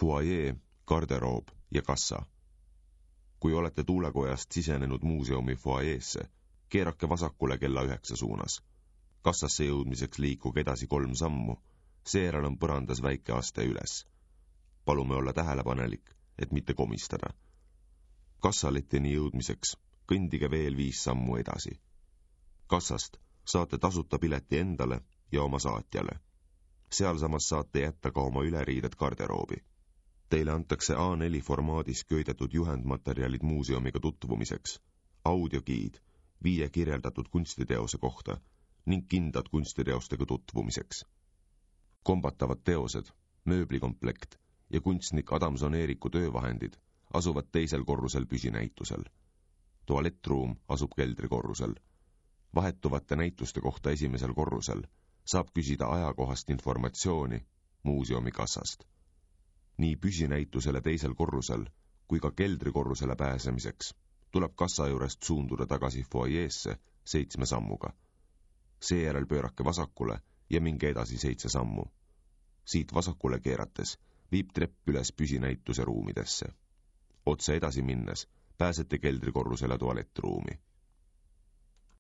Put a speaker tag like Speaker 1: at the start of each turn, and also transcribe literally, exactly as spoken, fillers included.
Speaker 1: fuajee, garderoob ja kassa. Kui olete tuulekojast sisenenud muuseumi fuajeesse, keerake vasakule kella üheksa suunas. Kassasse jõudmiseks liikuge edasi kolm sammu, seejärel on põrandas väike aste üles. Palume olla tähelepanelik, et mitte komistada. Kassaletini jõudmiseks kõndige veel viis sammu edasi. Kassast saate tasuta pileti endale ja oma saatjale. Sealsamas saate jätta ka oma üleriided garderoobi. Teile antakse A neli formaadis köidetud juhendmaterjalid muuseumiga tutvumiseks, audiogiid, viie kirjeldatud kunstiteose kohta ning kindad kunstiteostega tutvumiseks. Kombatavad teosed, mööblikomplekt ja kunstnik Adamson Eeriku töövahendid asuvad teisel korrusel püsinäitusel. Tualettruum asub keldrikorrusel. Vahetuvate näituste kohta esimesel korrusel saab küsida ajakohast informatsiooni muuseumi kassast. Nii püsinäitusele teisel korrusel kui ka keldrikorrusele pääsemiseks tuleb kassa juurest suunduda tagasi fuajeesse seitsme sammuga. Seejärel pöörake vasakule ja minge edasi seitse sammu. Siit vasakule keerates viib trepp üles püsinäituse ruumidesse. Otse edasi minnes pääsete keldrikorrusele tualettruumi.